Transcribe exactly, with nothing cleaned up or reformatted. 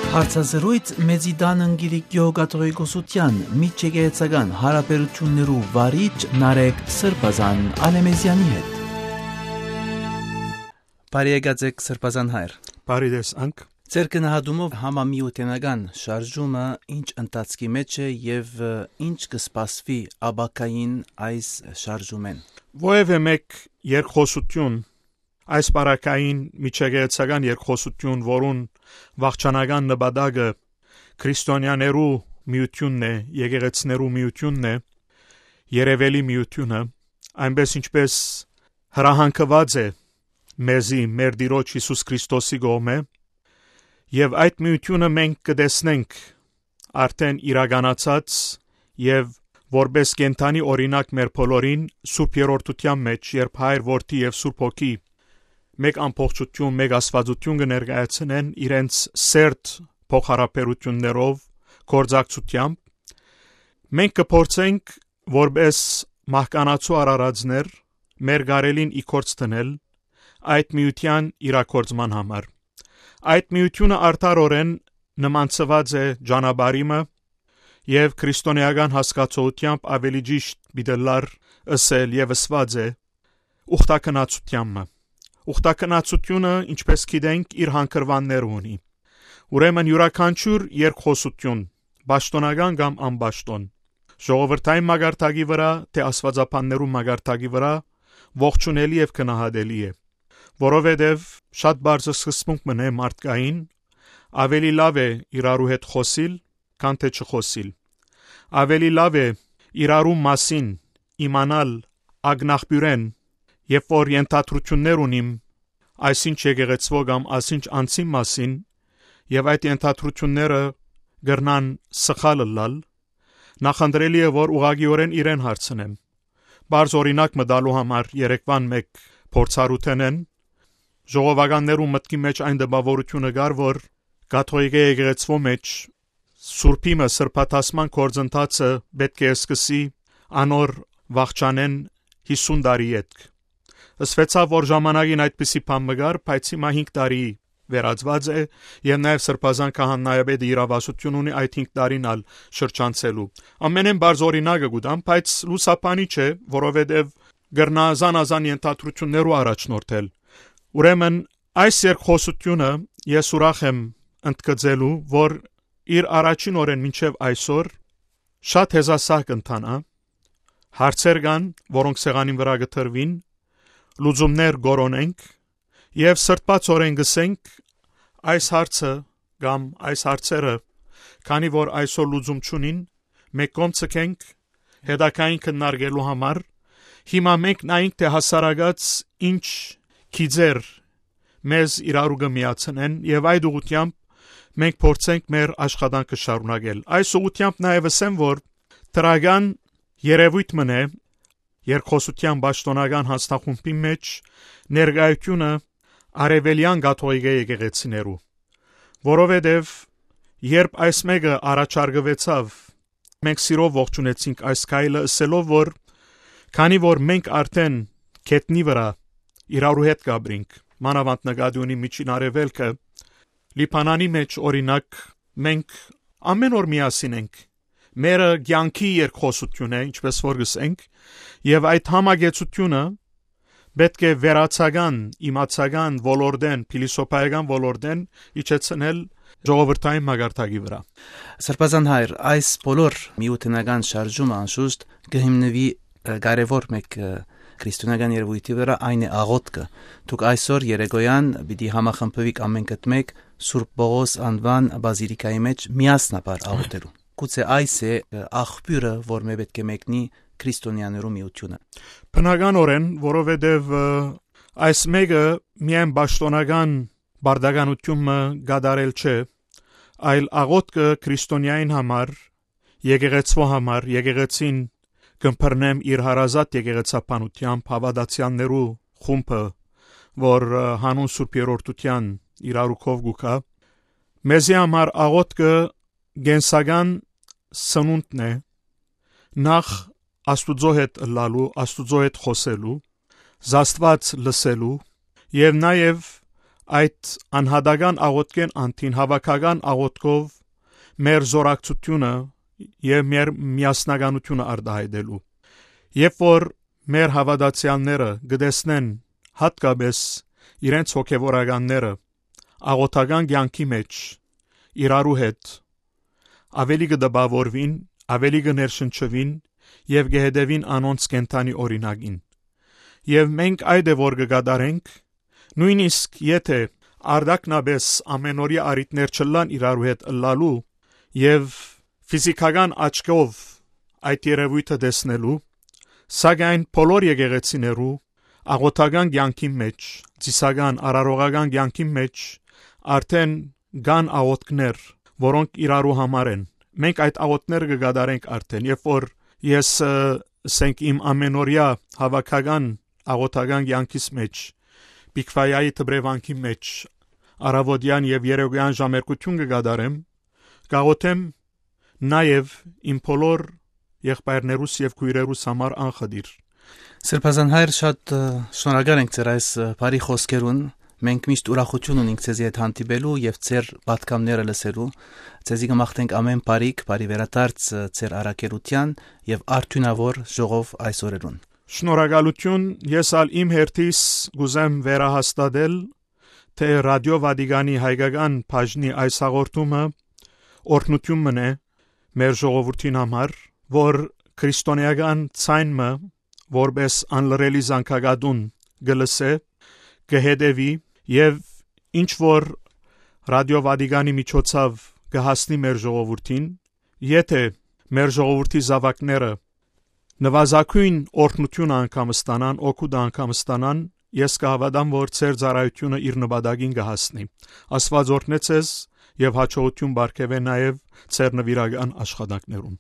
Հարցազրոյց մեզի տան ընկերիկիո կաթողիկոսութեան միջեկեղեցական յարաբերութիւններու վարիչ Նարեկ Սրբազան Ալեմեզեանի հետ։ Բարի եկած եք, Սրբազան հայր։ Բարի տեսանք։ Ձեր գնահատումով համամիութենական շարժումը ինչ ընթացքի մէջ է եւ, ը, ինչ կը սպասուի ապագային այս շարժումէն։ Որեւէ մէկ երկխօսութիւն, այս պարագային միջեկեղեցական երկխօսութիւն, որուն վախճանական նպատակը քրիստոնեաներու միութիւնն է, եկեղեցիներու միութիւնն է, երեւելի միութիւնը, այնպէս ինչպէս հրահանգուած է մեզի մեր Տիրոջ Յիսուս Քրիստոսի կողմէ, եւ այդ միութիւնը մենք կը տեսնենք արդէն իրականացած եւ որպէս կենդանի օրինակ մեր բոլորին Սուրբ Երրորդութեան մէջ, երբ Հայր, Որդի եւ Սուրբ Հոգի մէկ ամբողջութիւն, մէկ Աստուածութիւն կը ներկայացնեն իրենց սերտ փոխհարաբերութիւններով, գործակցութեամբ, մենք կը փորձենք որպէս մահկանացու արարածներ մեր կարելին ի գործ դնել այդ միութեան իրագործման համար։ Այդ միութիւնը արդարօրէն նմանցուած է ճանապարհի մը եւ քրիստոնէական հասկացողութեամբ ավելի ճիշտ պիտի լար ըսել եւ ըսուած է ուխտագնացութեան մը։ Ուխտագնացութիւնը, ինչպէս գիտենք, իր հանգրուանները ունի։ Ուրեմն յուրաքանչիւր երկխօսութիւն, պաշտօնական կամ անպաշտօն, ժողովրդային մակարդակի վրայ, թէ աստուածաբաններու մակարդակի վրայ, ողջունելի եւ գնահատելի է, որովհետեւ շատ բարձր սկզբունք մըն է մարդկային, ավելի լաւ է իրարու հետ խօսիլ, քան թէ չխօսիլ։ Ավելի լաւ է իրարու մասին իմանալ ակնաղբիւրէն, երբ որ ենթադրութիւններ ունիմ այսինչ եկեղեցւոյ կամ այսինչ անձին մասին, եւ այդ ենթադրութիւնները կրնան սխալ ըլլալ, նախընտրելի է, որ ուղղակիօրէն իրեն հարցնեմ։ Բարձ օրինակ մը տալու համար երեկվան մէկ փորձառութենէն, ժողովականներու մտքի մէջ այն տպաւորութիւնը կար, որ կաթողիկէ եկեղեցւոյ մէջ սուրբի մը սրբադասման գործընթացը պէտք է սկսի անոր վախճանէն յիսուն տարի ետք։ Ըսուեցաւ, որ ժամանակին այդպիսի բան մը կար, բայց հիմա հինգ տարի վերածուած է, եւ նաեւ Սրբազան քահանայապետը իրաւասութիւն ունի այդ հինգ տարին ալ շրջանցելու։ Ամենէն բարձ օրինակը կու տամ, բայց լուսաբանի չէ, որովհետեւ կրնայ զանազան ենթադրութիւններու առաջնորդել։ Ուրեմն այս երկխօսութիւնը ես ուրախ եմ ընդգծելու, որ իր առաջին օրէն մինչեւ այսօր շատ հեզասահ կ'ընթանայ, հարցեր կան, որոնք սեղանին վրայ կը դրուին, լուծումներ կորոնենք, եւ սրտմտօրէն կ'ըսենք, այս հարցը կամ այս հարցերը, քանի որ այսօր լուծում չունին, մէկ կողմ ցկենք, հետագային քննարկելու համար, հիմա մենք նայենք, թէ հասարակաց ինչ գիծեր մեզ իրարու կը միացնեն, եւ այդ ուղղութեամբ մենք փորձենք մեր աշխատանքը շարունակել։ Այս ուղղութեամբ նաեւ ըսեմ, որ դրական երեւոյթ մըն է երկխօսութեան պաշտօնական յանձնախումբին մէջ ներկայութիւնը արեւելեան կաթողիկէ եկեղեցիներու, որովհետեւ երբ այս մէկը առաջարկուեցաւ, մենք սիրով ողջունեցինք այս քայլը, ըսելով, որ քանի որ մենք արդէն գետնի վրայ իրարու հետ կապրինք, մանաւանդ նկատի ունի Միջին Արեւելքը, Լիբանանի մէջ, օրինակ, մենք ամէն օր միասին ենք։ Մերը կեանքի երկխօսութիւն է, ինչպէս որ կ'ըսենք, եւ այդ համակեցութիւնը պէտք է վերացական, իմացական ոլորտէն, փիլիսոփայական ոլորտէն իջեցնել ժողովրդային մակարդակի վրայ։ Սրբազան հայր, այս բոլոր միութենական շարժումը անշուշտ կը հիմնուի, ը, կարեւոր մէկ, ը, քրիստոնեական երևույթի վրայ, այն է աղօթքը։ Դուք այսօր երեկոյան պիտի համախմբուիք ամէնքդ մէկ Սուրբ Պողոս անուան բազիլիկայի մէջ միասնաբար աղօթելու։ Գուցե այս է, ը, աղբիւրը, որ մէ պէտք է մեկնի քրիստոնեաներու միութիւնը։ Բնականօրէն, որովհետեւ, ը, այս մէկը միայն պաշտօնական պարտականութիւն մը կատարել չէ, այլ աղօթքը քրիստոնեային համար, եկեղեցւոյ համար, եկեղեցին կ'ըմբռնեմ իր հարազատ եկեղեցաբանութեամբ հաւատացեալներու խումբը, որ, ը, հանուն Սուրբ Երրորդութեան իրարու քով կու գայ, մեզի համար աղօթքը կենսական սնունդն է, նախ Աստուծոյ հետ ըլլալու, Աստուծոյ հետ խօսելու, զաստուած լսելու եւ նաեւ այդ անհատական աղօթքէն անդին հաւաքական աղօթքով մեր զորակցությունը եւ մեր միասնականությունը արտայայտելու։ Երբ որ մեր հաւատացեալները կը տեսնեն յատկապէս իրենց հոգեվորականները աղօթական կեանքի մէջ իրարու հետ ավելի կը տպաւորուին, ավելի կը ներշնչուին եւ կը հետեւին անոնց կենդանի օրինակին։ Եւ մենք այդ է որ կը կատարենք, նոյնիսկ եթէ արտակնապէս ամենօրեայ առիթներ չըլլան իրարու հետ ըլլալու եւ ֆիզիքական աչքով այդ երեւոյթը տեսնելու, սակայն բոլոր եկեղեցիներու աղօթական կեանքին մէջ, ծիսական, արարողական կեանքին մէջ արդեն կան աղօթքներ, որոնք իրարու համար են։ Մենք այդ աղօթքները կը կատարենք արդեն, երբ որ ես, ը, ասենք, իմ ամենօրեայ հաւաքական աղօթական կեանքիս մէջ, Պիքվայայի դպրեվանքի մէջ, առաւօտեան եւ երեկոյեան ժամերգութիւն կը կատարեմ, կաղօթեմ նաեւ իմ բոլոր եղբայրներուս եւ քոյրերուս համար անխտիր։ Սրբազան հայր, շատ, ը, շնորհակալ ենք ձեր այս, ը, բարի խօսքերուն։ Մենք միշտ ուրախութիւն ունենք ձեզի հետ հանդիպելու եւ ձեր պատգամները լսելու։ Ձեզի կը մաղթենք ամէն բարիք, բարի վերադարձ, ը, ձեր առաքելութեան եւ արդիւնաւոր ժողով այս օրերուն։ Շնորհակալութիւն, ես ալ իմ հերթիս կ'ուզեմ վերահաստատել, թէ Ռադիո Վատիկանի հայկական բաժնի այս հաղորդումը օրհնութիւն մըն է մեր ժողովուրդին համար, որ քրիստոնէական ձայն մը, որպէս անլռելի զանգակատուն կը լսէ, կը հետեւի եւ ինչ որ Ռադիո Վատիկանի միջոցաւ կը հասնի մեր ժողովուրդին, եթէ մեր ժողովրդի զաւակները նուազագոյն օրհնութիւնը անգամ ստանան, օգուտը անգամ ստանան, ես կը հաւատամ, որ ձեր ծառայութիւնը իր նպատակին կը հասնի։ Աստուած օրհնե ձեզ եւ հաջողութիւն պարգեւէ նաեւ ձեր նուիրական աշխատանքներուն։